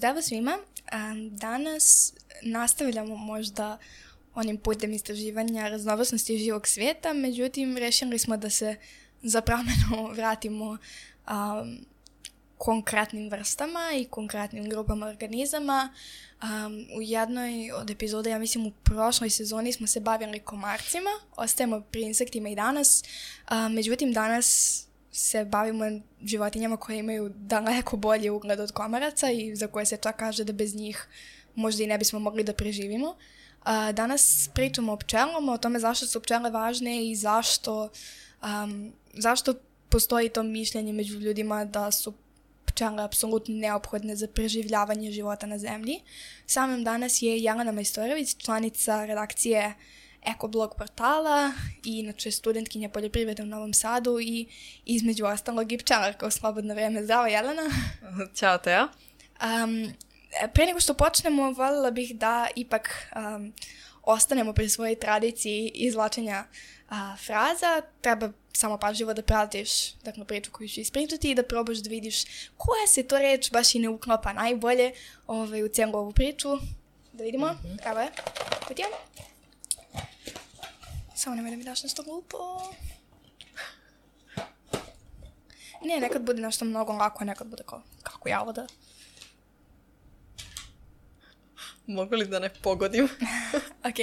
Zdravo svima. Danas nastavljamo možda onim putem istraživanja raznovrsnosti živog svijeta, međutim rešili smo da se za promjenu vratimo konkretnim vrstama i konkretnim grupama organizama. U jednoj od epizoda, ja mislim u prošloj sezoni, smo se bavili komarcima, ostajemo pri insektima i danas, međutim danas se bavimo životinjama koje imaju daleko bolji ugled od komaraca i za koje se čak kaže da bez njih možda i ne bismo mogli da preživimo. Danas pričamo o pčelama, o tome zašto su pčele važne i zašto postoji to mišljenje među ljudima da su pčele apsolutno neophodne za preživljavanje života na zemlji. Sa mnom danas je Jelena Majstorović, članica redakcije Ekoblog portala i inače studentkinja poljoprivrede u Novom Sadu i između ostalog i pčelarka u slobodno vreme. Zdravo, Jelena. Ćao, Teja. Pre nego što počnemo, voljela bih da ipak ostanemo pri svojoj tradiciji izvlačenja fraza. Treba samo pažljivo da pratiš priču koju ću ispričati i da probaš da vidiš koja se to reč baš i ne uklapa najbolje u cijelu ovu priču. Da vidimo. Evo je. Vidimo. Samo nemoj da mi daš nešto glupo. Ne, nekad bude nešto mnogo lako, nekad bude kako ja ovo da... Mogu li da ne pogodim? Ok.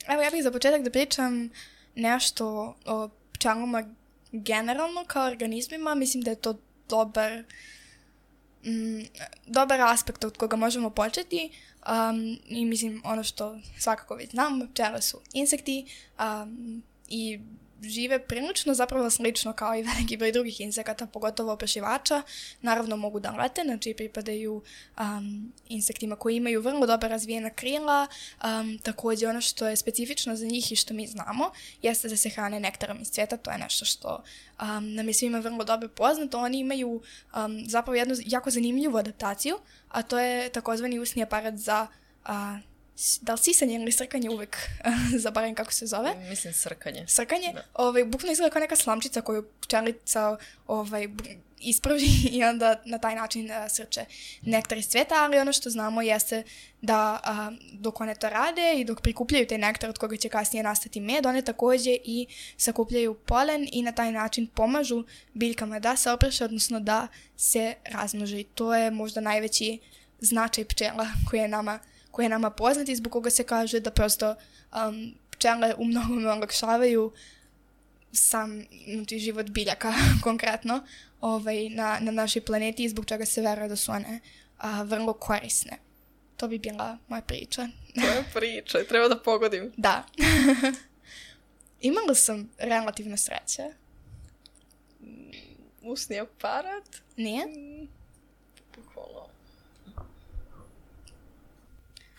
Evo ja bih za početak da pričam nešto o pčelama generalno kao organizmima. Mislim da je to dobar aspekt od koga možemo početi. I mislim ono što svakako već znam, pčele su insekti i žive prilično zapravo slično kao i veliki broj drugih insekata, pogotovo oprašivača. Naravno mogu da lete, znači pripadaju insektima koji imaju vrlo dobro razvijena krila. Također ono što je specifično za njih i što mi znamo jeste da se hrane nektarom iz cvijeta. To je nešto što nam je svima vrlo dobro poznato. Oni imaju zapravo jednu jako zanimljivu adaptaciju, a to je takozvani usni aparat za da li sisanje ili srkanje, uvijek zaboravim kako se zove. Mislim srkanje. Srkanje. Bukvalno izgleda kao neka slamčica koju pčelica isprži i onda na taj način srče nektar iz cvijeta, ali ono što znamo jeste da dok one to rade i dok prikupljaju taj nektar od koga će kasnije nastati med, one također i sakupljaju polen i na taj način pomažu biljkama da se opraše, odnosno da se razmnože. I to je možda najveći značaj pčela koji je nama poznat i zbog koga se kaže da prosto pčele u mnogome olakšavaju sam život biljaka konkretno na našoj planeti i zbog čega se veruje da su one vrlo korisne. To bi bila moja priča. Tvoja priča, treba da pogodim. Da. Imala sam relativno sreće. Usni aparat? Nije? Bukvalno.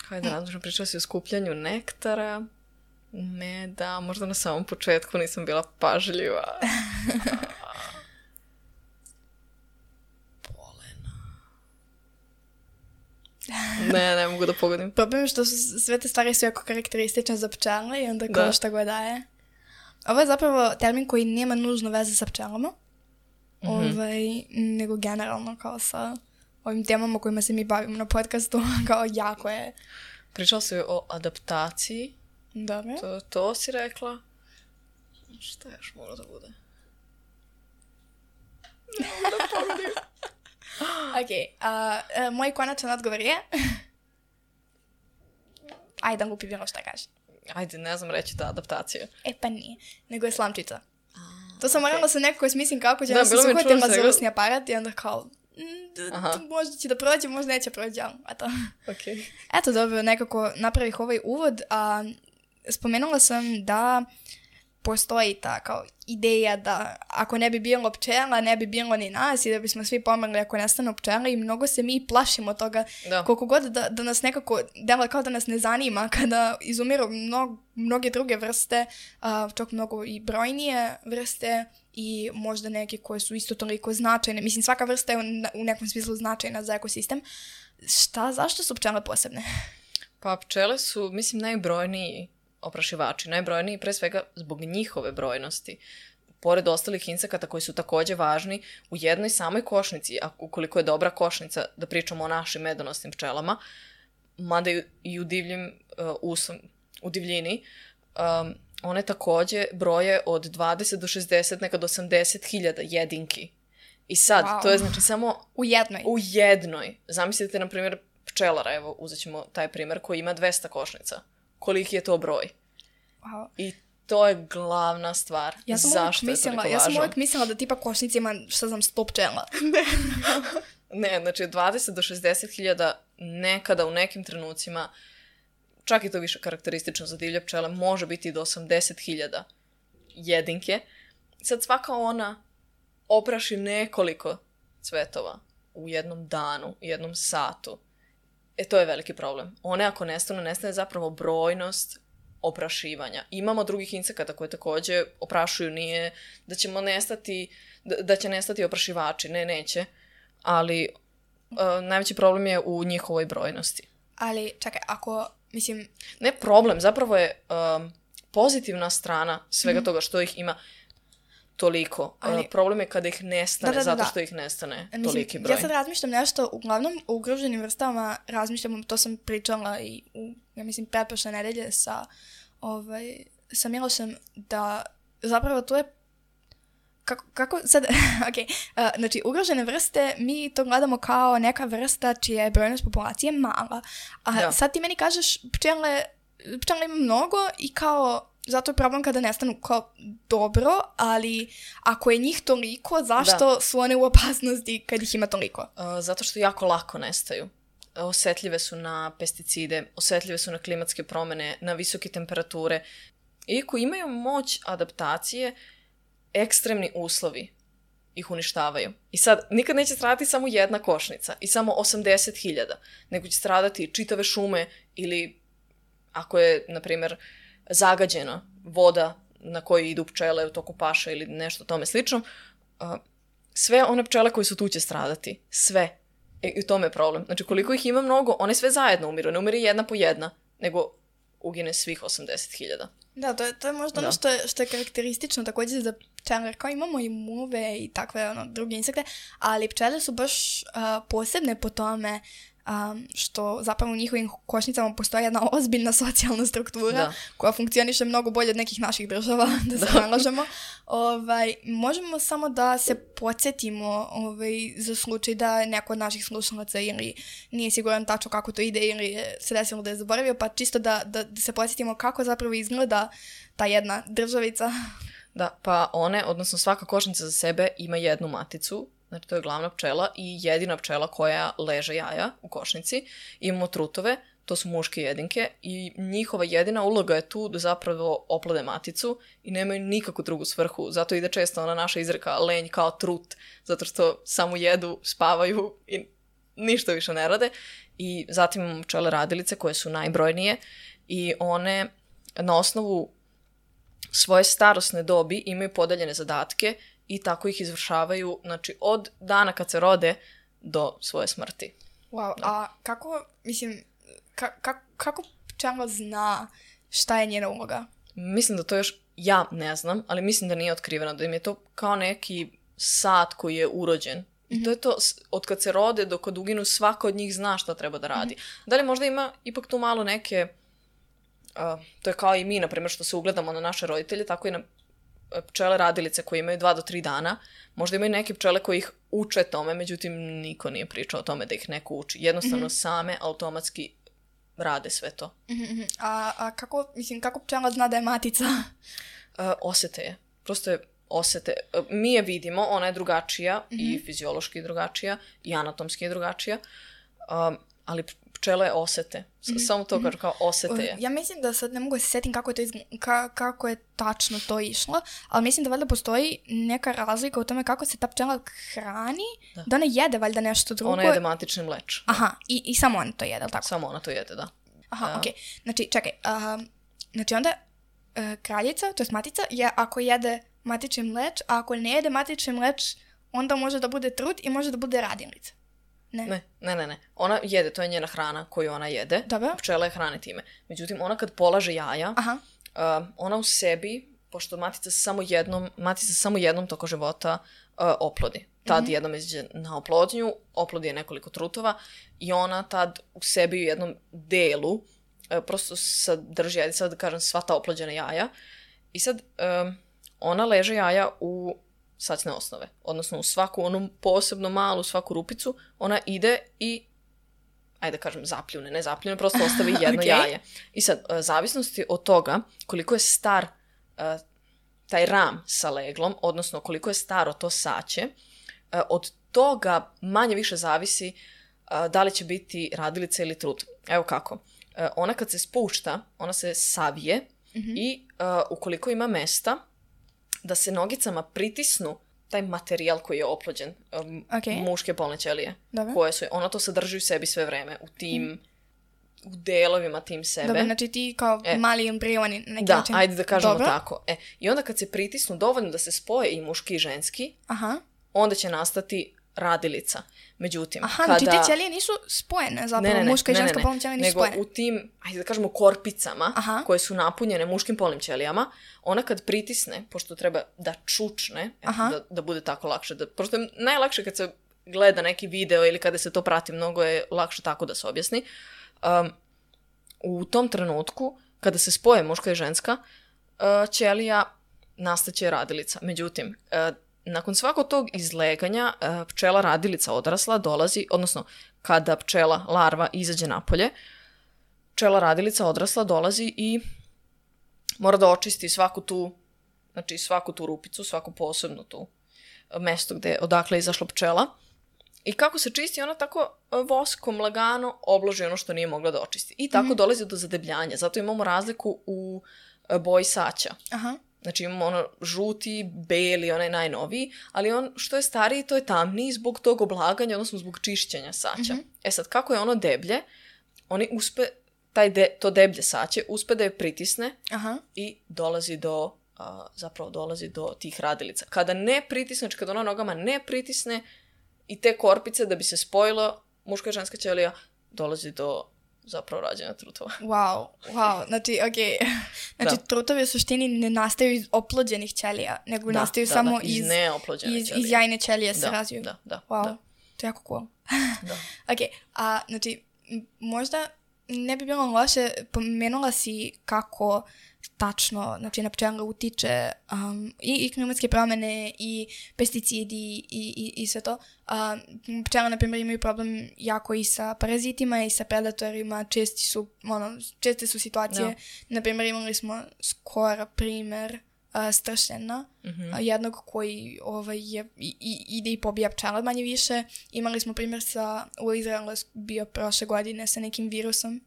Hajde, različno, pričala si o skupljanju nektara, meda, možda na samom početku nisam bila pažljiva. Polena. Ne mogu da pogodim. Problem je što sve te stvari su jako karakteristične za pčele i onda kao šta god daje. Ovo je zapravo termin koji nema nužno veze sa pčelama, nego generalno kao sa ovim temama kojima se mi bavimo na podcastu, kao jako je. Pričala si o adaptaciji. Dobro. To si rekla. Šta još mora da bude? Ne mogu da pogodim. Ok, moj konačan odgovor je... Ajde da lupi bilo šta kaže. Ajde, ne znam reći da adaptacija. Pa nije, nego je slamčica. To sam morala sa nekako smislim kako će da se bilo suhvatila za usni aparat i onda kao... možda će da prođe, možda neće prođe, eto. Okay. Eto, dobro, nekako napravih ovaj uvod, a spomenula sam da postoji ta kao ideja da ako ne bi bilo pčela, ne bi bilo ni nas i da bismo svi pomrli ako nestanu pčele i mnogo se mi plašimo toga, koliko god da nas nekako dela kao da nas ne zanima kada izumiru mnoge druge vrste, čak mnogo i brojnije vrste i možda neke koje su isto toliko značajne. Mislim, svaka vrsta je u nekom smislu značajna za ekosistem. Zašto su pčele posebne? Pa pčele su, mislim, najbrojniji oprašivači, najbrojniji pre svega zbog njihove brojnosti. pored ostalih insekata koji su takođe važni, u jednoj samoj košnici, a ukoliko je dobra košnica, da pričamo o našim medonosnim pčelama, mada i u divljini, one takođe broje od 20 do 60, nekad 80 hiljada jedinki. I sad, to je znači samo... U jednoj. Zamislite, na primjer, pčelara, evo, uzet ćemo taj primjer, koji ima 200 košnica. Koliki je to broj? Wow. I to je glavna stvar. Zašto je toliko važno? Ja sam uvijek mislila da tipa košnica ima, šta znam, 100 pčela. Ne, znači 20 do 60 hiljada nekada u nekim trenucima, čak i to više karakteristično za divlje pčele, može biti do 80 hiljada jedinke. Sad svaka ona opraši nekoliko cvetova u jednom danu, jednom satu. To je veliki problem. One ako nestane zapravo brojnost oprašivanja. Imamo drugih insekata koje takođe oprašuju, nije da ćemo nestati, da će nestati oprašivači, neće, ali najveći problem je u njihovoj brojnosti. Ali, čekaj, ako, mislim... Ne problem, zapravo je pozitivna strana svega toga što ih ima toliko. Ali, problem je kada ih nestane, zato što ih nestane toliki broj. Ja sad razmišljam nešto, uglavnom u ugroženim vrstama razmišljam, to sam pričala i ja mislim, pretprošle nedelje sa Milošem, da zapravo to je kako sad, znači ugrožene vrste, mi to gledamo kao neka vrsta čija je brojnost populacije mala. A sad ti meni kažeš, pčela ima mnogo i kao, zato je problem kada nestanu kao dobro, ali ako je njih toliko, zašto su one u opasnosti kad ih ima toliko? Zato što jako lako nestaju. Osetljive su na pesticide, osetljive su na klimatske promjene, na visoke temperature. Iako imaju moć adaptacije, ekstremni uslovi ih uništavaju. I sad, nikad neće stradati samo jedna košnica i samo 80.000, nego će stradati čitave šume ili ako je, na primjer, zagađena voda na kojoj idu pčele u toku paša ili nešto tome slično, sve one pčele koje su tu će stradati. Sve. I u tome je problem. Znači, koliko ih ima mnogo, one sve zajedno umiru. Ne umiri jedna po jedna, nego ugine svih 80.000. Da, to je možda ono što je karakteristično također za pčele. Kao imamo i muve i takve druge insekte, ali pčele su baš posebne po tome što zapravo u njihovim košnicama postoji jedna ozbiljna socijalna struktura koja funkcioniše mnogo bolje od nekih naših država, da se nalažemo. Možemo samo da se podsjetimo za slučaj da neko od naših slušalaca ili nije siguran tačno kako to ide ili se desilo da je zaboravio, pa čisto da se podsjetimo kako zapravo izgleda ta jedna državica. Da, pa odnosno svaka košnica za sebe ima jednu maticu. Znači, to je glavna pčela i jedina pčela koja leže jaja u košnici. Imamo trutove, to su muške jedinke i njihova jedina uloga je tu da zapravo oplode maticu i nemaju nikakvu drugu svrhu. Zato ide često ona naša izreka lenj kao trut, zato što samo jedu, spavaju i ništa više ne rade. I zatim imamo pčele radilice koje su najbrojnije i one na osnovu svoje starosne dobi imaju podeljene zadatke i tako ih izvršavaju, znači, od dana kad se rode do svoje smrti. Wow, a kako, mislim, kako pčela zna šta je njena uloga? Mislim da to još ja ne znam, ali mislim da nije otkriveno, da im je to kao neki sat koji je urođen. I to je to, od kad se rode do kad uginu, svaka od njih zna šta treba da radi. Da li možda ima ipak tu malo neke, to je kao i mi, na primjer, što se ugledamo na naše roditelje, tako i na pčele radilice koje imaju 2 do 3 dana, možda imaju neke pčele koje ih uče tome, međutim niko nije pričao o tome da ih neko uči. Jednostavno same automatski rade sve to. A kako pčela zna da je matica? Osete je. Prosto je osete. Mi je vidimo, ona je drugačija i fiziološki drugačija i anatomski je drugačija, ali pčele osete. Samo to kažu kao osete je. Ja mislim da sad ne mogu se setim kako je tačno to išlo, ali mislim da valjda postoji neka razlika u tome kako se ta pčela hrani, da ona jede valjda nešto drugo. Ona jede matični mleč. Aha, i samo ona to jede, ali tako? Samo ona to jede, da. Aha, okej. Znači, čekaj, znači onda kraljica, to je matica, je ako jede matični mleč, a ako ne jede matični mleč, onda može da bude trut i može da bude radilica. Ne. Ona jede, to je njena hrana koju ona jede. Dobro. Pčela je hrane time. Međutim, ona kad polaže jaja, ona u sebi, pošto matica se samo jednom tokom života oplodi. Tad jednom izađe na oplodnju, oplodi je nekoliko trutova i ona tad u sebi u jednom delu prosto sadrži, ajde sad da kažem, sva ta oplođena jaja. I sad ona leže jaja u sacne osnove. Odnosno u svaku onu posebno malu, svaku rupicu, ona ide i, ajde da kažem, ne zapljune, prosto ostavi jedno jaje. I sad, zavisnosti od toga koliko je star taj ram sa leglom, odnosno koliko je staro to saće, od toga manje više zavisi da li će biti radilica ili trut. Evo kako. Ona kad se spušta, ona se savije i ukoliko ima mesta da se nogicama pritisnu taj materijal koji je oplođen, muške polne ćelije, koje su, ona to sadrži u sebi sve vreme, u tim u delovima tim sebe. Dobro, znači ti kao mali embrioni na neki način. Da, ajde da kažemo tako. I onda kad se pritisnu dovoljno da se spoje i muški i ženski, onda će nastati radilica. Međutim, znači te ćelije nisu spojene zapravo, muška i ženska polna ćelija nisu spojene. Nego u tim, ajde da kažemo, korpicama koje su napunjene muškim polnim ćelijama, ona kad pritisne, pošto treba da čučne, da bude tako lakše, pošto je najlakše kad se gleda neki video ili kada se to prati, mnogo je lakše tako da se objasni. U tom trenutku, kada se spoje muška i ženska ćelija, nastaće radilica. Međutim, nakon svakog tog izleganja, pčela radilica odrasla dolazi, odnosno kada pčela larva izađe napolje, pčela radilica odrasla dolazi i mora da očisti svaku tu rupicu, svaku posebnu tu mesto odakle je izašla pčela. I kako se čisti, ona tako voskom lagano obloži ono što nije mogla da očisti. I tako dolazi do zadebljanja. Zato imamo razliku u boji saća. Znači imamo ono žuti, beli, onaj najnoviji, ali on što je stariji, to je tamniji zbog tog oblaganja, odnosno zbog čišćenja saća. Sad, kako je ono deblje, oni to deblje saće uspe da je pritisne i dolazi do tih radilica. Kada ne pritisne, kada ona nogama ne pritisne i te korpice da bi se spojilo muška i ženska ćelija, dolazi do zapravo rađenja trutova. Wow. Znači, trutovi u suštini ne nastaju iz oplođenih ćelija, nego nastaju samo iz neoplođene ćelije. Iz jajne ćelije se razviju. Wow, to je jako cool. Znači, možda ne bi bilo loše, pomenula si kako tačno, znači na pčele utiče i klimatske promjene i pesticidi i sve to. Pčele, na primjer, imaju problem jako i sa parazitima i sa predatorima, česte su situacije. Na primjer, imali smo skoro primjer stršljena, jednog koji ide i pobija pčele manje više. Imali smo primjer u Izraelu bio prošle godine sa nekim virusom,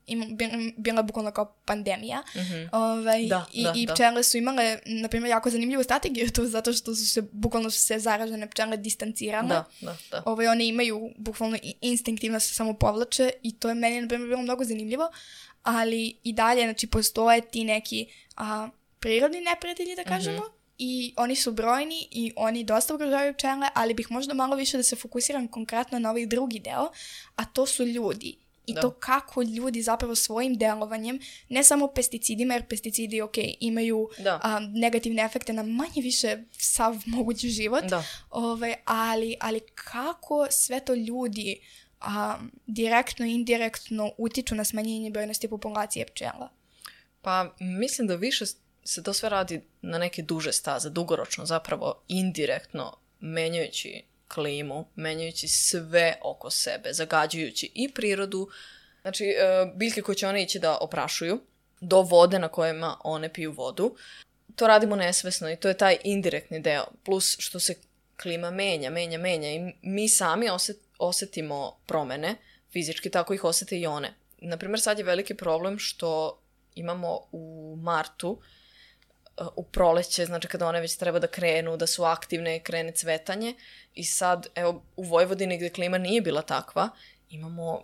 bila bukvalno kao pandemija. I pčele su imale, na primjer, jako zanimljivu strategiju tu, zato što bukvalno su se zaražene pčele distancirale. One imaju bukvalno instinktivno se samo povlače i to je meni, na primjer, bilo mnogo zanimljivo, ali i dalje, znači, postoje ti neki prirodni neprijatelji, da kažemo, i oni su brojni i oni dosta ugrožavaju pčele, ali bih možda malo više da se fokusiram konkretno na ovaj drugi deo, a to su ljudi. I to kako ljudi zapravo svojim delovanjem, ne samo pesticidima, jer pesticidi, imaju negativne efekte na manje više sav mogući život, ali kako sve to ljudi direktno i indirektno utiču na smanjenje brojnosti populacije pčela? Pa mislim da više se to sve radi na neke duže staze, dugoročno, zapravo indirektno, menjajući klimu, menjajući sve oko sebe, zagađujući i prirodu, znači biljke koje će one ići da oprašuju, do vode na kojima one piju vodu. To radimo nesvesno i to je taj indirektni deo, plus što se klima menja i mi sami osetimo promene, fizički tako ih osete i one. Naprimjer, sad je veliki problem što imamo u martu, u proleće, znači kada one već treba da krenu, da su aktivne, krene cvetanje i sad, evo, u Vojvodini gdje klima nije bila takva, imamo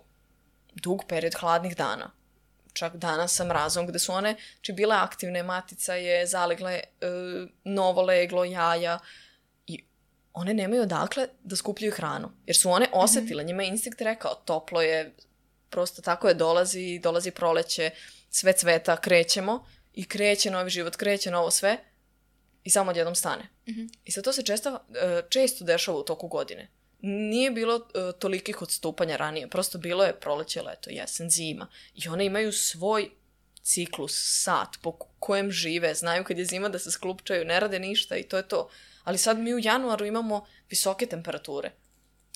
dug period hladnih dana. Čak dana sa mrazom gdje su one, znači bile aktivne, matica je zalegle novo leglo, jaja i one nemaju odakle da skupljaju hranu. Jer su one osetile, njima je instinkt rekao, toplo je, prosto tako je, dolazi proleće, sve cveta, krećemo i kreće novi život, kreće novo sve i samo odjednom stane. I sad to se često dešava u toku godine. Nije bilo tolikih odstupanja ranije, prosto bilo je proleće, leto, jesen, zima. I one imaju svoj ciklus, sat po kojem žive, znaju kad je zima da se sklupčaju, ne rade ništa i to je to. Ali sad mi u januaru imamo visoke temperature.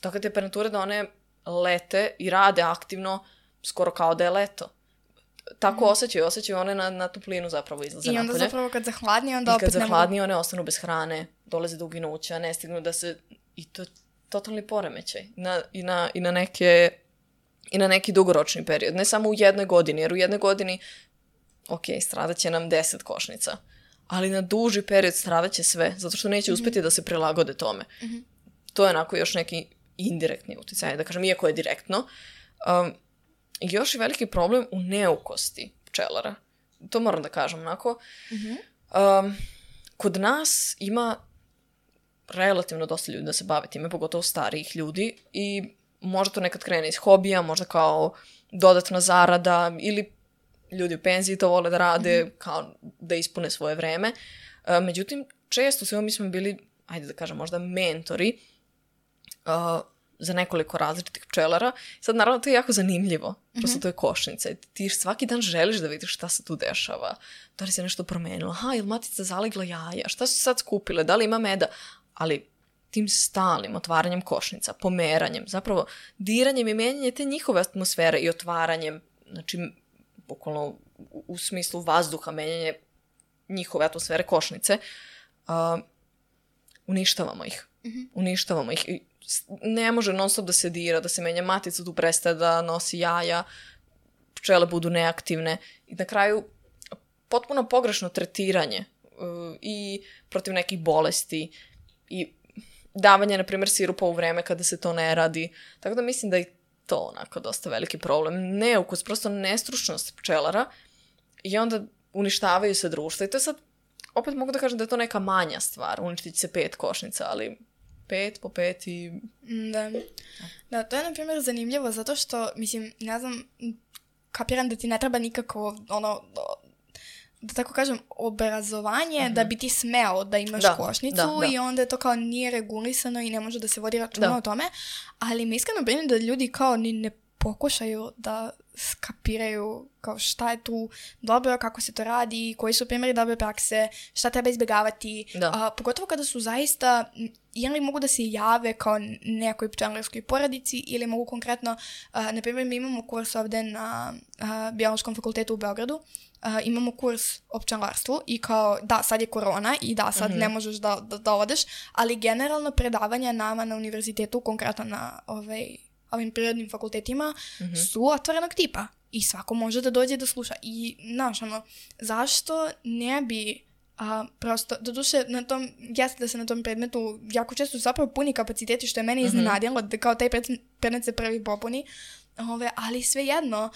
Tako temperature da one lete i rade aktivno skoro kao da je leto. Tako osjećaju one na toplinu zapravo izlaze napolje. I onda zapravo kad zahladni, onda opet ne mogu. I kad zahladni, one ostanu bez hrane, dolaze do uginuća, ne stignu da se... I to je totalni poremećaj. I na neki dugoročni period. Ne samo u jednoj godini, jer u jednoj godini stradat će nam 10 košnica. Ali na duži period stradat će sve, zato što neće uspjeti da se prilagode tome. To je onako još neki indirektni utjecaj, da kažem, iako je direktno. Još je veliki problem u neukosti pčelara. To moram da kažem, onako. Kod nas ima relativno dosta ljudi da se bave time, pogotovo starijih ljudi, i možda to nekad krene iz hobija, možda kao dodatna zarada, ili ljudi u penziji to vole da rade, kao da ispune svoje vreme. Međutim, često mi smo bili, ajde da kažem, možda mentori za nekoliko različitih pčelara. Sad, naravno, to je jako zanimljivo. Prosto to je košnica. Ti svaki dan želiš da vidiš šta se tu dešava. Da li se nešto promenilo? Je li matica zalegla jaja? Šta su sad skupile? Da li ima meda? Ali tim stalnim otvaranjem košnica, pomeranjem, zapravo diranjem i menjanjem te njihove atmosfere i otvaranjem, znači, bukvalno u smislu vazduha, menjanje njihove atmosfere košnice, uništavamo ih. Uništavamo ih. Ne može non stop da se dira, da se menja matica, tu prestaje da nosi jaja, pčele budu neaktivne i na kraju potpuno pogrešno tretiranje i protiv nekih bolesti i davanje, na primjer, sirupa u vreme kada se to ne radi. Tako da mislim da je to onako dosta veliki problem. Neukus, prosto nestručnost pčelara i onda uništavaju se društva. I to je sad, opet mogu da kažem da je to neka manja stvar. Uništit će se 5 košnica, ali 5 po 5 i... Da, to je, na primjer, zanimljivo zato što, mislim, ne znam, kapiram da ti ne treba nikako, da tako kažem, obrazovanje da bi ti smeo da imaš košnicu i onda je to kao nije regulisano i ne može da se vodi računa o tome, ali mi iskreno brinem da ljudi kao ni ne pokušaju da skapiraju kao šta je tu dobro, kako se to radi, koji su primjeri dobre prakse, šta treba izbjegavati, pogotovo kada su zaista, ili mogu da se jave kao nekoj pčelarskoj porodici ili mogu konkretno, na primjer mi imamo kurs ovdje na Biološkom fakultetu u Beogradu, imamo kurs o pčelarstvu i kao, da, sad je korona i da, sad ne možeš da odeš, ali generalno predavanja nama na univerzitetu, konkretno na ovim prirodnim fakultetima, su otvorenog tipa i svako može da dođe da sluša. I, znaš, zašto ne bi prosto, doduše, jeste da se na tom predmetu jako često su zapravo puni kapaciteti, što je mene iznenadilo, da kao taj predmet se prvi popuni, ali svejedno,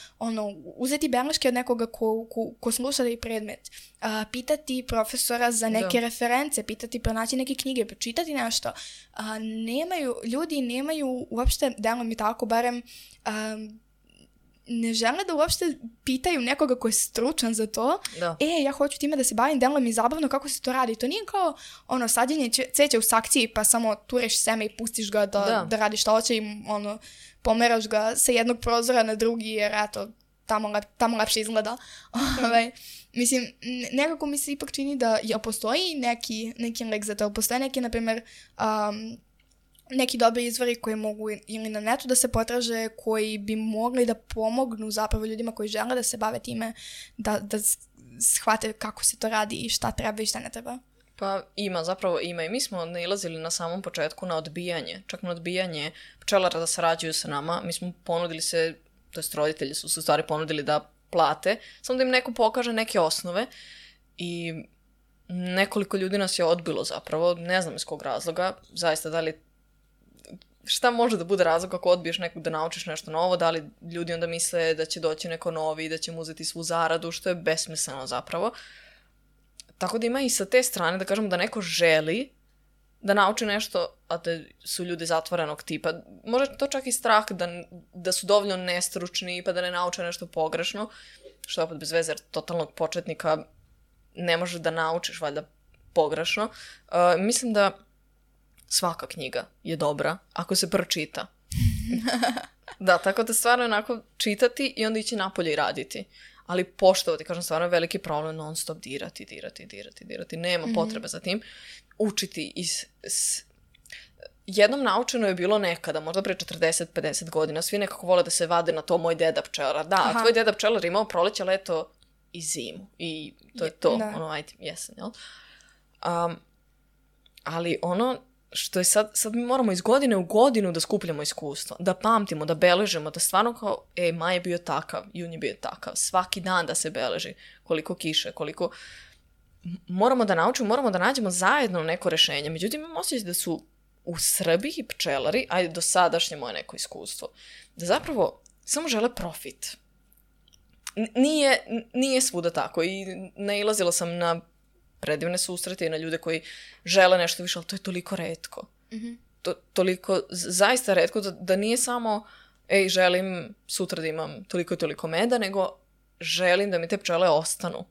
uzeti beleške od nekoga ko sluša taj predmet, pitati profesora za neke reference, pronaći neke knjige, pročitati nešto. Ljudi nemaju uopšte, delo mi tako, barem ne žele da uopšte pitaju nekoga ko je stručan za to. Ja hoću time da se bavim, delo mi zabavno kako se to radi. To nije kao sađenje cveća u sakciji pa samo tureš seme i pustiš ga da radi što hoće i pomeraš ga sa jednog prozora na drugi jer eto, tamo lepše izgleda. Mislim, nekako mi se ipak čini da postoji neki lek za to. Postoje neki, na primjer, neki dobri izvori koji mogu ili na netu da se potraže, koji bi mogli da pomognu zapravo ljudima koji žele da se bave time, da shvate kako se to radi i šta treba i šta ne treba. Pa zapravo ima i mi smo nailazili na samom početku na odbijanje, čak na odbijanje pčelara da sarađuju sa nama. Mi smo ponudili se, to jest roditelji su se u stvari ponudili da plate, samo da im neko pokaže neke osnove i nekoliko ljudi nas je odbilo zapravo, ne znam iz kog razloga, zaista da li šta može da bude razlog ako odbiješ nekog da naučiš nešto novo, da li ljudi onda misle da će doći neko novi, da će mu uzeti svu zaradu, što je besmisleno zapravo. Tako da ima i sa te strane da kažemo da neko želi da nauči nešto, a da su ljudi zatvorenog tipa. Može to čak i strah da su dovoljno nestručni pa da ne nauče nešto pogrešno, što opet bez veze, jer totalnog početnika ne možeš da naučiš valjda pogrešno. Mislim da svaka knjiga je dobra ako se pročita. Da, tako da stvarno onako čitati i onda ići napolje i raditi. Ali poštovati, kažem, stvarno je veliki problem non stop dirati. Nema potrebe za tim. Učiti jednom naučeno je bilo nekada, možda pre 40-50 godina, svi nekako vole da se vade na to moj deda pčelar. Da, tvoj deda pčelar imao proleće, leto i zimu. I to je to. Da. Ono, ajde, jesen, jel? Ali ono što je sad mi moramo iz godine u godinu da skupljamo iskustvo, da pamtimo, da beležimo, da stvarno kao, maj je bio takav, jun je bio takav, svaki dan da se beleži, koliko kiše, koliko... Moramo da naučimo, moramo da nađemo zajedno neko rešenje. Međutim, imam osjećaj da su u Srbiji pčelari, ajde do sadašnje moje neko iskustvo, da zapravo samo žele profit. Nije svuda tako i nailazila sam na predivne susrete i na ljude koji žele nešto više, ali to je toliko retko. Toliko, zaista retko, da nije samo želim sutra da imam toliko i toliko meda, nego želim da mi te pčele ostanu.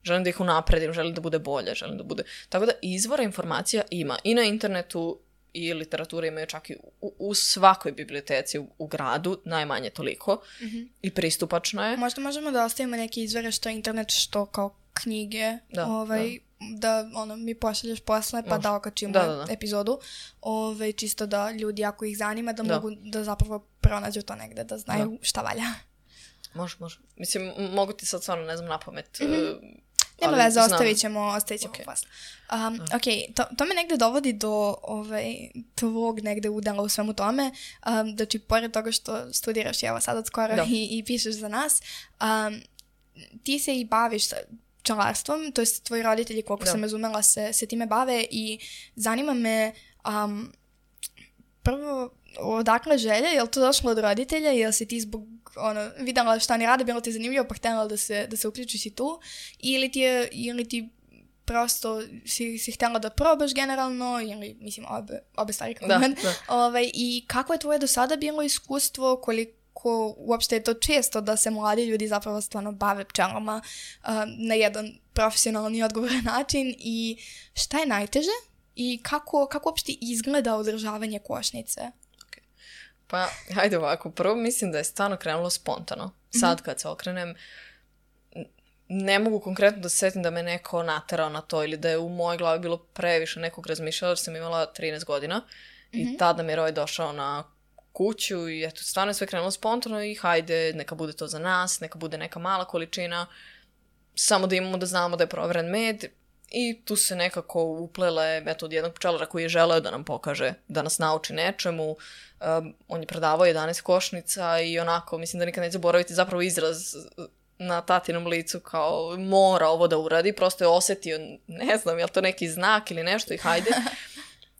Želim da ih unapredim, želim da bude bolje, želim da bude... Tako da izvora informacija ima i na internetu i literature imaju čak i u svakoj biblioteci u gradu, najmanje toliko, i pristupačno je. Možda možemo da ostavimo neke izvore što internet, što kao knjige, da mi pošalješ posle pa da okačimo epizodu, čisto da ljudi ako ih zanima da mogu da zapravo pronađu to negde, da znaju šta valja. Može. Mislim, mogu ti sad stvarno, ne znam, napamet. Nema veze, ostavit ćemo posle. To me negde dovodi do tvog negde udela u svemu tome. Znači, pored toga što studiraš evo sad od skoro i pišeš za nas, ti se i baviš pčelarstvom, to je tvoji roditelji, koliko sam razumela, se time bave i zanima me prvo, odakle želja, je li to došlo od roditelja, jel si ti zbog videla šta oni rade, bilo ti zanimljivo pa htjela da se uključiš i tu, ili ti prosto si htjela da probaš generalno, ili mislim obe stvari kako men. I kako je tvoje do sada bilo iskustvo, koliko uopšte je to često da se mladi ljudi zapravo stvarno bave pčelama na jedan profesionalni i odgovoran način i šta je najteže i kako uopšte izgleda održavanje košnice? Pa, hajde ovako, prvo mislim da je stvarno krenulo spontano. Sad kad se okrenem, ne mogu konkretno da se setim da me neko naterao na to ili da je u mojoj glavi bilo previše nekog razmišljala, jer sam imala 13 godina i tada mi je Roj došao na kuću i eto, stvarno je sve krenulo spontano i hajde, neka bude to za nas, neka bude neka mala količina, samo da imamo da znamo da je proveren med. I tu se nekako uplele metod jednog pčelara koji je želeo da nam pokaže, da nas nauči nečemu. On je predavao 11 košnica i onako, mislim da nikad neće zaboraviti zapravo izraz na tatinom licu kao mora ovo da uradi. Prosto je osjetio, ne znam, je li to neki znak ili nešto i hajde.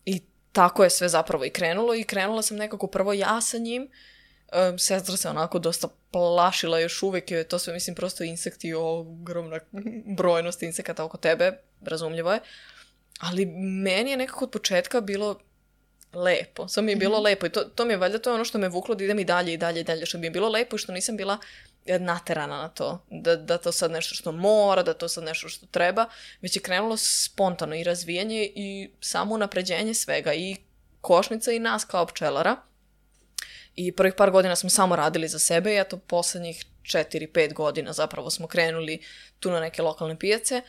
I tako je sve zapravo i krenulo. I krenula sam nekako prvo ja sa njim. Sestra se onako dosta plašila još uvijek, je to sve, mislim, prosto insekti, ogromna brojnost insekata oko tebe, razumljivo je, ali meni je nekako od početka bilo lepo, samo mi je bilo lepo i to mi je valjda, to je ono što me vuklo da idem i dalje, što mi je bilo lepo i što nisam bila naterana na to, da to sad nešto što mora, da to sad nešto što treba, već je krenulo spontano i razvijanje i samo unapređenje svega i košnica i nas kao pčelara. I prvih par godina smo samo radili za sebe i eto poslednjih 4-5 godina zapravo smo krenuli tu na neke lokalne pijace.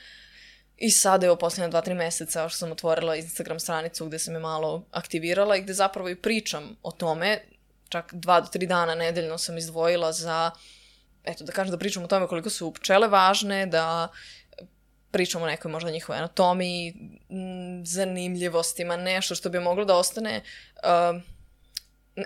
I sada je posljednja 2-3 meseca što sam otvorila Instagram stranicu gde sam je malo aktivirala i gde zapravo i pričam o tome. Čak 2 do 3 dana nedeljno sam izdvojila za, eto da kažem da pričam o tome koliko su pčele važne, da pričam o nekoj možda njihovoj anatomiji, zanimljivostima, nešto što bi moglo da ostane...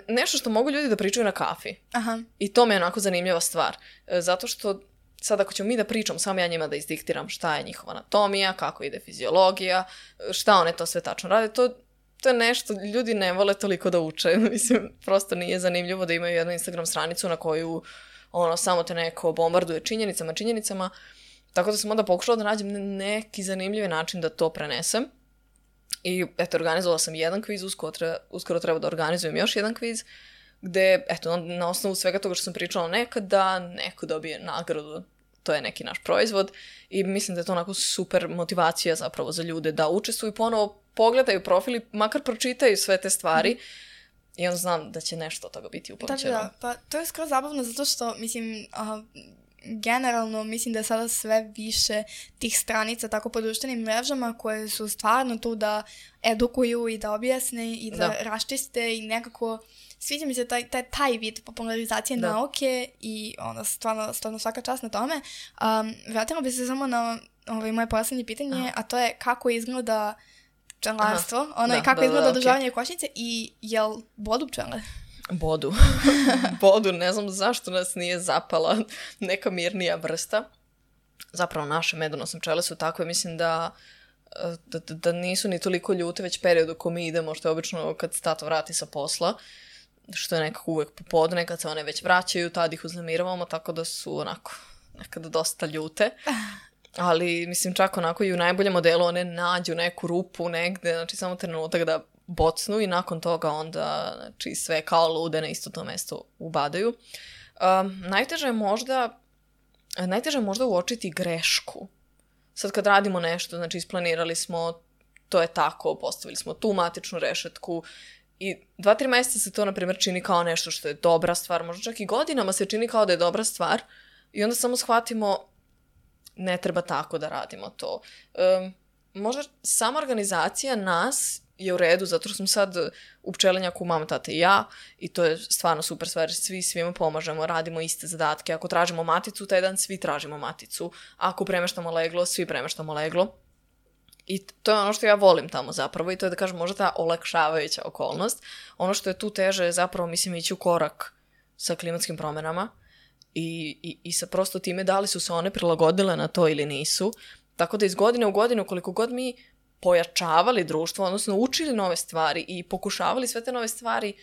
nešto što mogu ljudi da pričaju na kafi. Aha. I to mi je onako zanimljiva stvar. Zato što sad ako ćemo mi da pričam, samo ja njima da izdiktiram šta je njihova anatomija, kako ide fiziologija, šta one to sve tačno rade, to je nešto, ljudi ne vole toliko da uče. Mislim, prosto nije zanimljivo da imaju jednu Instagram stranicu na koju samo te neko bombarduje činjenicama. Tako da sam onda pokušala da nađem neki zanimljivi način da to prenesem. I eto, organizovala sam jedan kviz, uskoro treba da organizujem još jedan kviz, gde, eto, na osnovu svega toga što sam pričala nekad, da neko dobije nagradu to je neki naš proizvod i mislim da je to onako super motivacija zapravo za ljude da učestvuju i ponovo pogledaju profili, makar pročitaju sve te stvari i onda znam da će nešto od toga biti upamćeno. Da, pa to je skoro zabavno zato što, mislim, generalno mislim da je sada sve više tih stranica tako po društvenim mrežama koje su stvarno tu da edukuju i da objasne i da raščiste i nekako sviđa mi se taj vid popularizacije nauke i ono, stvarno svaka čast na tome. Vratila bi se samo na moje posljednje pitanje, a to je kako izgleda pčelarstvo, kako izgleda održavanje košnice i jel bodu pčele? Bodu, ne znam zašto nas nije zapala neka mirnija vrsta. Zapravo naše medonosne pčele su takve, mislim da nisu ni toliko ljute već periodu ko mi idemo, što je obično kad se tato vrati sa posla, što je nekako uvijek popodne, kad se one već vraćaju, tad ih uznemiravamo, tako da su onako nekada dosta ljute. Ali, mislim, čak onako i u najboljem modelu one nađu neku rupu negde, znači samo trenutak da bocnu i nakon onda znači, sve kao lude na isto to mesto ubadaju. Najteže je možda uočiti grešku. Sad kad radimo nešto, znači isplanirali smo, to je tako, postavili smo tu matičnu rešetku i 2-3 mjeseca se to, na primjer, čini kao nešto što je dobra stvar, možda čak i godinama se čini kao da je dobra stvar i onda samo shvatimo ne treba tako da radimo to. Možda sama organizacija nas je u redu, zato što smo sad u pčelinjaku mama, tata i ja i to je stvarno super stvar, svima pomažemo, radimo iste zadatke. Ako tražimo maticu, taj dan svi tražimo maticu. Ako premeštamo leglo, svi premeštamo leglo. I to je ono što ja volim tamo zapravo i to je da kažem možda ta olakšavajuća okolnost. Ono što je tu teže je zapravo mislim ići u korak sa klimatskim promjenama i sa prosto time da li su se one prilagodile na to ili nisu. Tako da iz godine u godinu koliko god mi pojačavali društvo, odnosno učili nove stvari i pokušavali sve te nove stvari,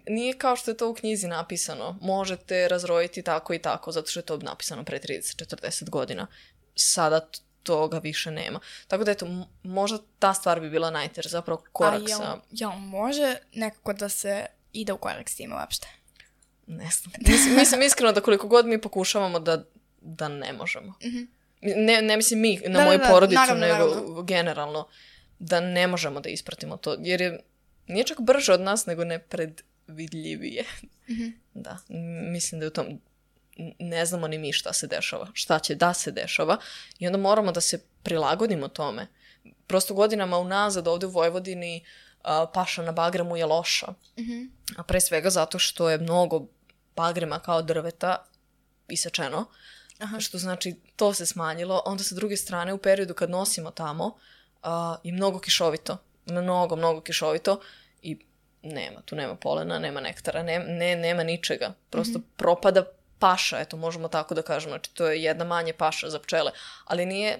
nije kao što je to u knjizi napisano. Možete razrojiti tako i tako, zato što je to napisano pre 30-40 godina. Sada toga više nema. Tako da eto, možda ta stvar bi bila najteža, zapravo korak sa... Jel može nekako da se ide u korak s time uopšte? Ne znam. Mislim iskreno da koliko god mi pokušavamo da ne možemo. Ne mislim mi na moju porodicu, naravno. Generalno, da ne možemo da ispratimo to. Jer nije čak brže od nas, nego nepredvidljivije. Da, mislim da je u tom... Ne znamo ni mi šta se dešava, šta će da se dešava i onda moramo da se prilagodimo tome. Prosto godinama unazad ovdje u Vojvodini paša na bagremu je loša. A pre svega zato što je mnogo bagrema kao drveta isečeno, što znači to se smanjilo. Onda sa druge strane u periodu kad nosimo tamo je mnogo kišovito. Mnogo kišovito i tu nema polena, nema nektara, nema ničega. Prosto propada paša, eto, možemo tako da kažemo, znači to je jedna manje paša za pčele, ali nije,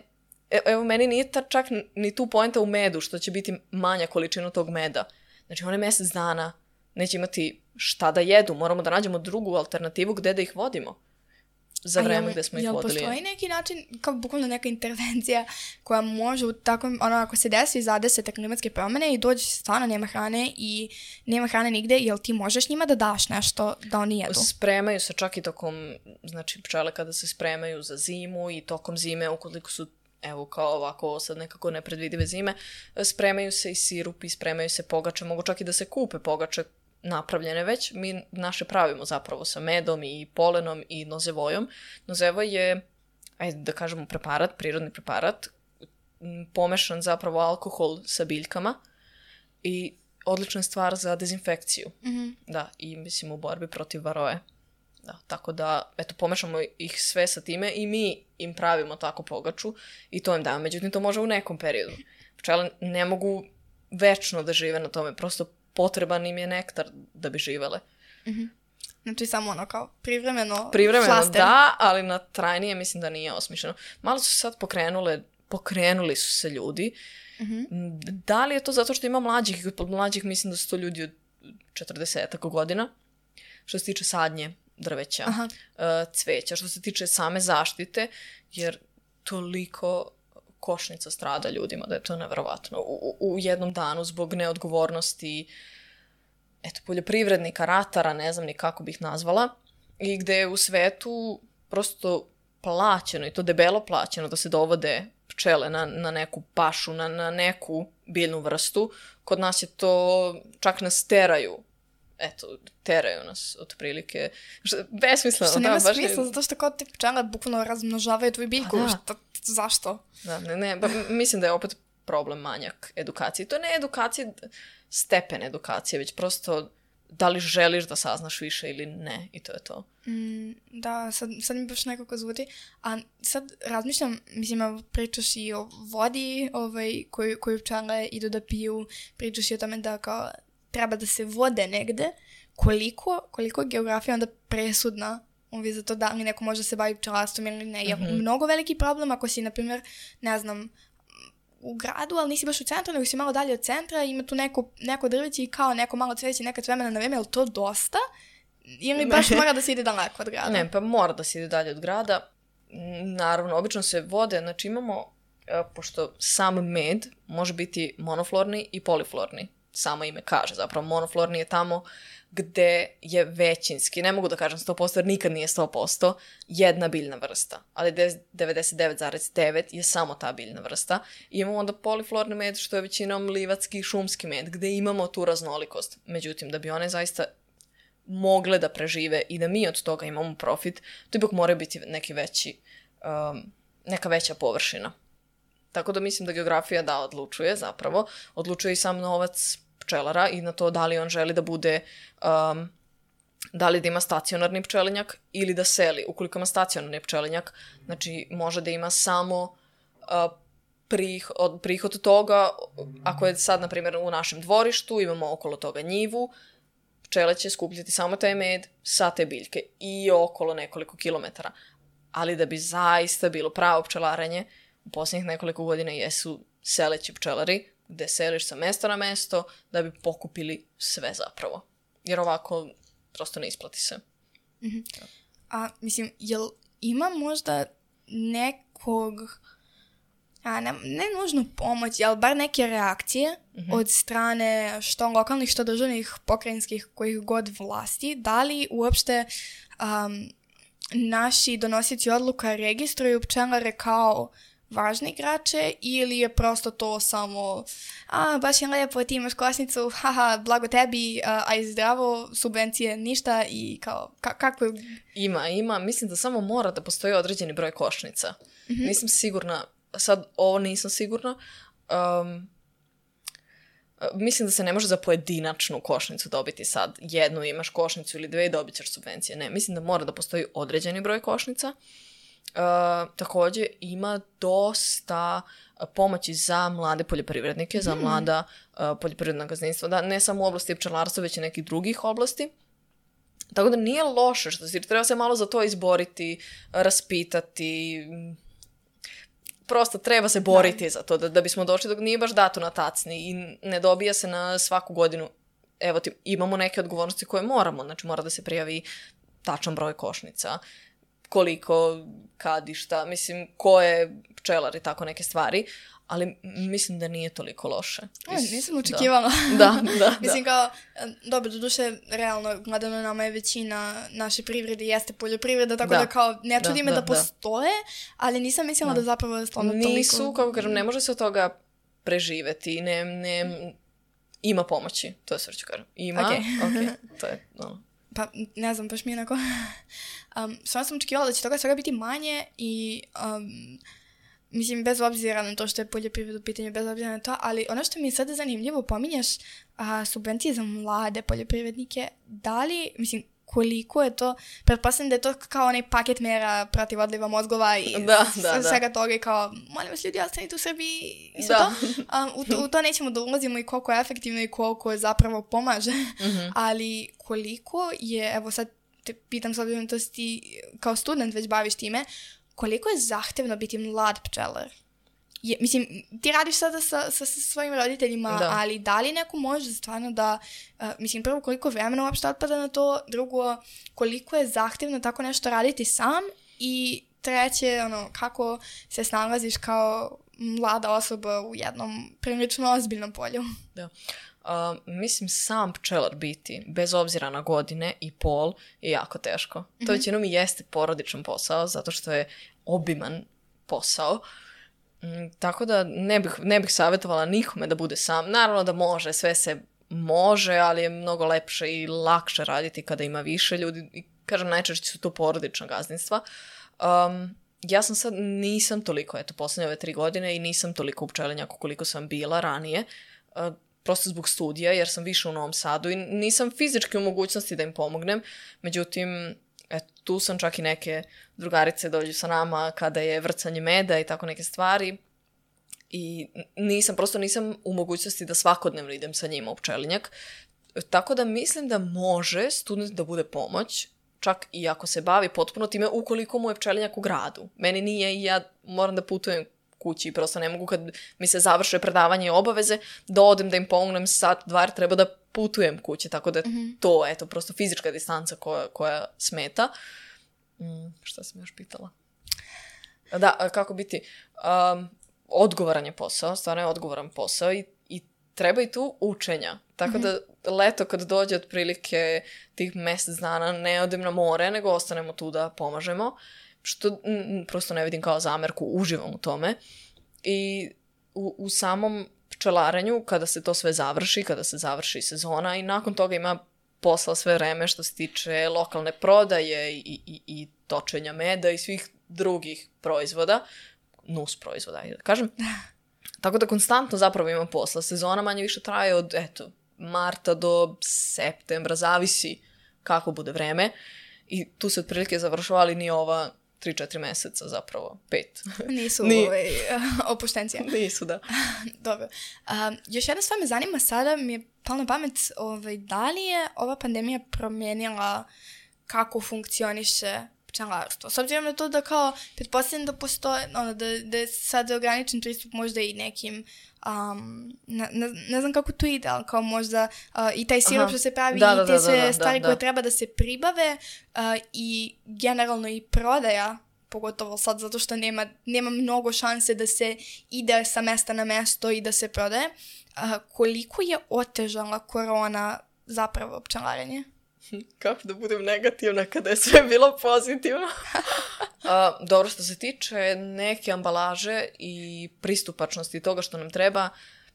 evo meni nije čak ni tu poenta u medu, što će biti manja količina tog meda. Znači one mjesec dana neće imati šta da jedu, moramo da nađemo drugu alternativu gde da ih vodimo za vreme gde smo ih vodili. Jel postoji neki način, kao bukvalno neka intervencija koja može u takvom, ako se desi zadese te klimatske promjene i dođe stvarno nema hrane i nema hrane nigde, jel ti možeš njima da daš nešto da oni jedu? Spremaju se čak i tokom, znači pčele kada se spremaju za zimu i tokom zime, ukoliko su, evo kao ovako sad nekako nepredvidive zime, spremaju se i sirupi, spremaju se pogače, mogu čak i da se kupe pogače napravljene već, mi naše pravimo zapravo sa medom i polenom i nozevojom. Nozevoj je, ajde da kažemo preparat, prirodni preparat, pomešan zapravo alkohol sa biljkama i odlična stvar za dezinfekciju. Da, i mislim u borbi protiv varoje. Da, tako da, eto, pomešamo ih sve sa time i mi im pravimo tako pogaču i to im damo. Međutim, to može u nekom periodu. Pčele ne mogu večno da žive na tome, prosto potreban im je nektar da bi živele. Znači samo kao privremeno flaster. Da, ali na trajnije mislim da nije osmišljeno. Malo su sad pokrenuli su se ljudi. Da li je to zato što ima mlađih mislim da su to ljudi od 40 godina, što se tiče sadnje drveća, cveća, što se tiče same zaštite, jer toliko košnica strada ljudima, da je to neverovatno. U jednom danu zbog neodgovornosti poljoprivrednika, ratara, ne znam ni kako bih nazvala, i gde u svetu prosto plaćeno, i to debelo plaćeno, da se dovode pčele na neku pašu, na neku biljnu vrstu. Kod nas je to, čak nas teraju. Eto, teraju nas otprilike. Besmisleno. Što nema smisla, zato što kao te pčele bukvalno razmnožavaju tvoju biljku. Zašto? Da, mislim da je opet problem manjak edukacije. To ne je edukacija, stepen edukacije, već prosto da li želiš da saznaš više ili ne, i to je to. Da, sad mi baš nekako zvuti. A sad razmišljam, mislim, pričaš i o vodi koju pčele idu da piju, pričaš i o tome da kao treba da se vode negde. Koliko je geografija onda presudna za to da li neko može se baviti pčelarstvom ili ne? Je mnogo veliki problem ako si, na primjer, ne znam, u gradu, ali nisi baš u centru, nego si malo dalje od centra, ima tu neko drveće i kao neko malo cveće nekad vremena na vreme, je li to dosta? Ili baš mora da se ide daleko od grada? Ne, pa mora da se ide dalje od grada. Naravno, obično se vode, znači imamo, pošto sam med može biti monoflorni i poliflorni. Samo ime kaže, zapravo monoflorni je tamo gde je većinski, ne mogu da kažem 100% jer nikad nije 100%, jedna biljna vrsta, ali 99,9 je samo ta biljna vrsta. I imamo onda poliflorni med, što je većinom livatski i šumski med, gde imamo tu raznolikost. Međutim, da bi one zaista mogle da prežive i da mi od toga imamo profit, to ipak mora biti neka veća površina. Tako da mislim da geografija odlučuje zapravo. Odlučuje i sam novac pčelara i na to da li on želi da bude, da li da ima stacionarni pčelinjak ili da seli. Ukoliko ima stacionarni pčelinjak, znači može da ima samo prihod toga, ako je sad, na primjer, u našem dvorištu, imamo okolo toga njivu, pčele će skupljati samo taj med sa te biljke i okolo nekoliko kilometara. Ali da bi zaista bilo pravo pčelarenje, u posljednjih nekoliko godina jesu seleći pčelari, gde seliš sa mesta na mesto da bi pokupili sve zapravo. Jer ovako prosto ne isplati se. Mm-hmm. A mislim, jel ima možda nekog, ne nužno pomoći, ali bar neke reakcije od strane što lokalnih, što državnih, pokrajinskih, kojih god vlasti, da li uopšte naši donosioci odluka registruju pčelare kao važne igrače ili je prosto to samo baš je lepo, ti imaš košnicu, haha, blago tebi, aj zdravo, subvencije, ništa i kao, kako je? Ima, mislim da samo mora da postoji određeni broj košnica. Nisam sigurna, sad ovo nisam sigurna, mislim da se ne može za pojedinačnu košnicu dobiti sad jednu, imaš košnicu ili dve i dobit ćeš subvencije. Ne, mislim da mora da postoji određeni broj košnica. Također ima dosta pomoći za mlade poljoprivrednike, za mlada poljoprivredna gazdinstva, da ne samo u oblasti pčelarstva, već i nekih drugih oblasti. Tako da nije loše što se treba se malo za to izboriti, raspitati, prosto treba se boriti za to, da bismo došli dok nije baš dato na tacni i ne dobija se na svaku godinu. Evo ti, imamo neke odgovornosti koje moramo, znači mora da se prijavi tačan broj košnica, koliko, kad i šta, mislim, ko je pčelar i tako neke stvari, ali mislim da nije toliko loše. Nisam očekivala. Da. Mislim kao, dobro, doduše, realno, gledano nama je većina naše privrede jeste poljoprivreda, tako da kao, ne čudi me da postoje, ali nisam mislila da zapravo je stvarno toliko. Nisu, kako kažem, ne može se od toga preživeti, ne, ima pomoći, to je sve ću kažem. Ima, to je, Pa, ne znam, baš mi je onako, stvarno sam očekivala da će toga svega biti manje i, mislim, bez obzira na to što je poljoprivreda u pitanju, bez obzira na to, ali ono što mi je sada zanimljivo, pominjaš subvencije za mlade poljoprivrednike, da li, mislim, koliko je to, pretpostavljam da je to kao onaj paket mera protiv odliva mozgova i svega toga i kao, molim vas ljudi, ostanite u Srbiji i sve to. U to nećemo da ulazimo i koliko je efektivno i koliko je zapravo pomaže, ali koliko je, evo sad te pitam s obzirom da si ti kao student već baviš time, koliko je zahtevno biti mlad pčelar? Mislim, ti radiš sada sa svojim roditeljima, ali da li neko može stvarno da, mislim, prvo koliko vremena uopšte otpada na to, drugo, koliko je zahtevno tako nešto raditi sam i treće, kako se snalaziš kao mlada osoba u jednom prilično ozbiljnom polju? Da. Mislim, sam pčelar biti, bez obzira na godine i pol, je jako teško. To većinom i jeste porodičan posao, zato što je obiman posao. Tako da ne bih savjetovala nikome da bude sam. Naravno da može, sve se može, ali je mnogo lepše i lakše raditi kada ima više ljudi. I kažem, najčešće su to porodična gazdinstva. Ja sam sad, nisam toliko, posljednje ove 3 godine i nisam toliko u pčelinjaku koliko sam bila ranije. Prosto zbog studija, jer sam više u Novom Sadu i nisam fizički u mogućnosti da im pomognem. Međutim, tu sam, čak i neke drugarice dođu sa nama kada je vrcanje meda i tako neke stvari. I nisam u mogućnosti da svakodnevno idem sa njima u pčelinjak. Tako da mislim da može student da bude pomoć, čak i ako se bavi potpuno time, ukoliko mu je pčelinjak u gradu. Meni nije i ja moram da putujem kući i prosto ne mogu kad mi se završe predavanje i obaveze da odem da im pomognem sat, 2, treba da putujem kući, tako da je to, prosto fizička distanca koja smeta. Šta sam još pitala? Da, kako biti? Odgovoran je posao, stvarno je odgovoran posao i treba i tu učenja. Tako da leto kad dođe otprilike tih mjesec dana ne odem na more, nego ostanemo tu da pomažemo, što prosto ne vidim kao zamerku, uživam u tome. I u samom pčelarenju, kada se to sve završi, kada se završi sezona i nakon toga ima posla sve vreme što se tiče lokalne prodaje i točenja meda i svih drugih proizvoda, nus proizvoda, da kažem. Tako da konstantno zapravo ima posla. Sezona manje više traje od, marta do septembra, zavisi kako bude vreme. I tu se otprilike završava, ali ni ova 3-4 mjeseca, zapravo 5. Nisu opuštencija. Nisu, da. Dobro. Još jedna stvar me zanima, sada mi je palo na pamet, da li je ova pandemija promijenila kako funkcioniše pčelarstvo? S obzirom na to da kao, pretpostavljam da postoje, da je sad ograničen pristup možda i nekim, ne znam kako to ide, ali kao možda i taj sirup što se pravi i te sve stvari koje treba da se pribave i generalno i prodaja, pogotovo sad zato što nema mnogo šanse da se ide sa mesta na mesto i da se prodaje. Koliko je otežala korona zapravo pčelarenje? Kako da budem negativna kada je sve bilo pozitivno? Dobro, što se tiče neke ambalaže i pristupačnosti toga što nam treba,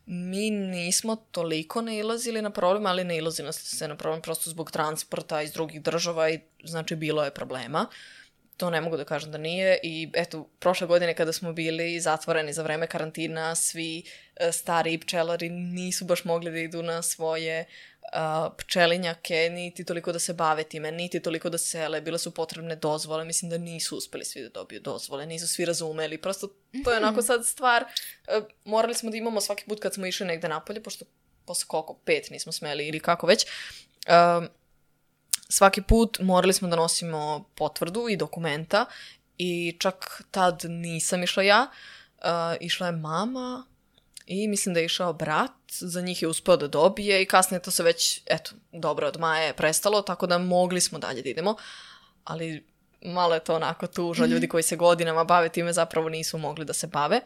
mi nismo toliko nailazili na problem, ali nailazili se na problem prosto zbog transporta iz drugih država i znači bilo je problema. To ne mogu da kažem da nije i prošle godine kada smo bili zatvoreni za vreme karantina, svi stariji pčelari nisu baš mogli da idu na svoje pčelinjake, niti toliko da se bave time, niti toliko da sele, bile su potrebne dozvole, mislim da nisu uspeli svi da dobiju dozvole, nisu svi razumeli, prosto to je onako sad stvar, morali smo da imamo svaki put kad smo išli negde napolje, pošto posle koliko, 5 nismo smeli ili kako već, svaki put morali smo da nosimo potvrdu i dokumenta i čak tad nisam išla ja, išla je mama i mislim da je išao brat, za njih je uspeo da dobije i kasnije to se već, dobro, od maja je prestalo, tako da mogli smo dalje da idemo, ali malo je to onako tužno, ljudi koji se godinama bave time zapravo nisu mogli da se bave.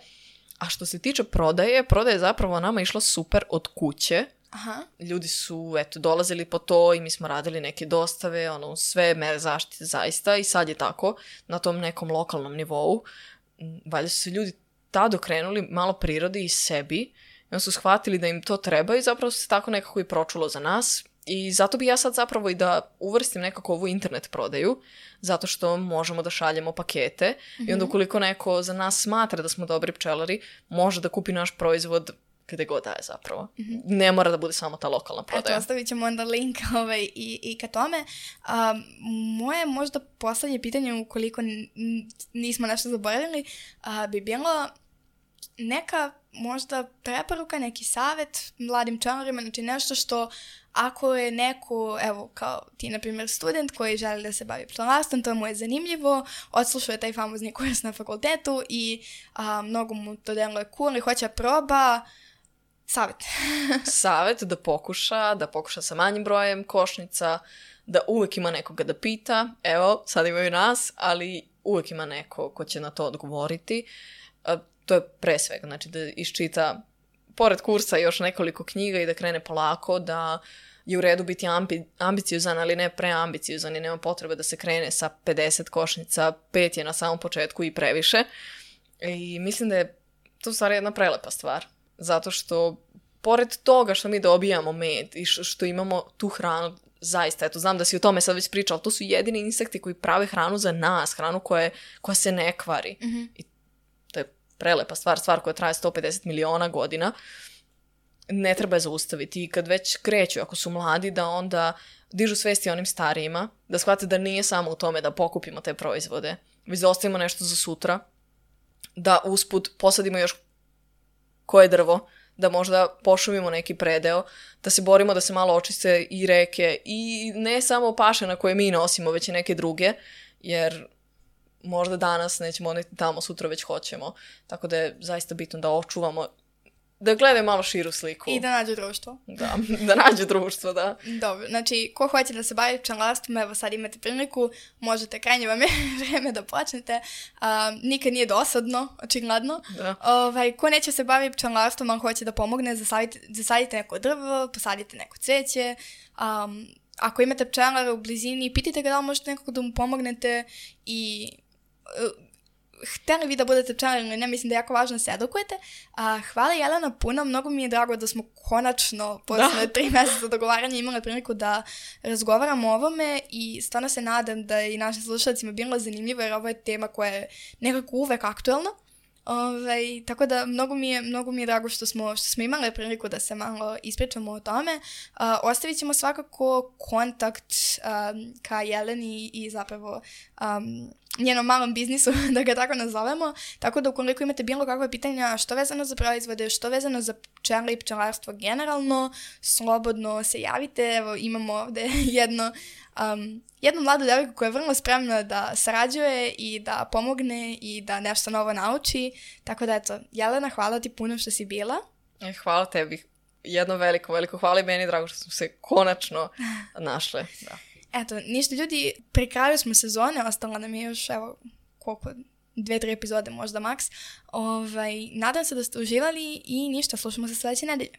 A što se tiče prodaje je zapravo nama išla super od kuće. Aha. Ljudi su, dolazili po to i mi smo radili neke dostave, sve mere zaštite zaista i sad je tako na tom nekom lokalnom nivou. Valjda su se ljudi tad okrenuli malo prirodi i sebi i onda su shvatili da im to treba i zapravo se tako nekako i pročulo za nas i zato bi ja sad zapravo i da uvrstim nekako ovu internet prodaju, zato što možemo da šaljemo pakete i onda ukoliko neko za nas smatra da smo dobri pčelari, može da kupi naš proizvod gde god daje zapravo. Ne mora da bude samo ta lokalna prodaja. Ostavit ćemo onda link i ka tome. Moje možda poslednje pitanje, ukoliko nismo nešto zaboravili, bi bilo neka možda preporuka, neki savjet mladim pčelarima, znači nešto što ako je neko, evo kao ti na primjer student koji želi da se bavi pčelarstvom, to mu je zanimljivo, odslušao je taj famozni kurs na fakultetu i mnogo mu to deluje cool i hoće proba. Savjet. Savjet da pokuša sa manjim brojem košnica, da uvek ima nekoga da pita, evo, sad imaju nas, ali uvek ima neko ko će na to odgovoriti. To je pre svega, znači da iščita pored kursa još nekoliko knjiga i da krene polako, da je u redu biti ambiciozan, ali ne preambiciozan i nema potrebe da se krene sa 50 košnica, 5 je na samom početku i previše. I mislim da je to u stvari jedna prelepa stvar, zato što pored toga što mi dobijamo med i što imamo tu hranu, zaista, eto, znam da si o tome sad već pričala, ali to su jedini insekti koji prave hranu za nas, hranu koja se ne kvari. I to je prelepa stvar koja traje 150 miliona godina. Ne treba je zaustaviti i kad već kreću, ako su mladi, da onda dižu svesti onim starijima, da shvate da nije samo u tome da pokupimo te proizvode, već da ostavimo nešto za sutra, da usput posadimo još koje drvo, da možda pošumimo neki predeo, da se borimo da se malo očiste i reke i ne samo paše na koje mi nosimo, već i neke druge, jer možda danas nećemo odneti tamo, sutra već hoćemo. Tako da je zaista bitno da očuvamo, da gledaju malo širu sliku. I da nađu društvo. Da nađu društvo, da. Dobro, znači, ko hoće da se bavi pčelarstvom, evo sad imate priliku, možete, krajnje vam je vreme da počnete. Nikad nije dosadno, očigledno. Ko neće se bavi pčelarstvom, ali hoće da pomogne, zasadite neko drvo, posadite neko cveće. Ako imate pčelara u blizini, pitajte ga da li možete nekako da mu pomognete i... htjeli vi da budete pčelari ili ne, mislim da je jako važno da se edukujete. Hvala Jelena puno, mnogo mi je drago da smo konačno posle 3 mjeseca dogovaranja imali priliku da razgovaramo o ovome i stvarno se nadam da i našim slušalcima bilo zanimljivo jer ovo je tema koja je nekako uvek aktuelna. Tako da mnogo mi je drago što smo imali priliku da se malo ispričamo o tome. Ostavit ćemo svakako kontakt ka Jeleni i zapravo njenom malom biznisu, da ga tako nazovemo, tako da ukoliko imate bilo kakve pitanja što vezano za proizvode, što vezano za pčele i pčelarstvo generalno, slobodno se javite. Evo, imamo ovde jednu mladu devojku koja je vrlo spremna da sarađuje i da pomogne i da nešto novo nauči. Tako da, eto, Jelena, hvala ti puno što si bila. Hvala tebi. Jedno veliko hvala i meni, drago što smo se konačno našle. Da. Eto, ništa ljudi, pri kraju smo sezone, ostalo nam je još, evo, koliko, 2-3 epizode možda maks. Nadam se da ste uživali i ništa, slušamo se sljedeće nedelje.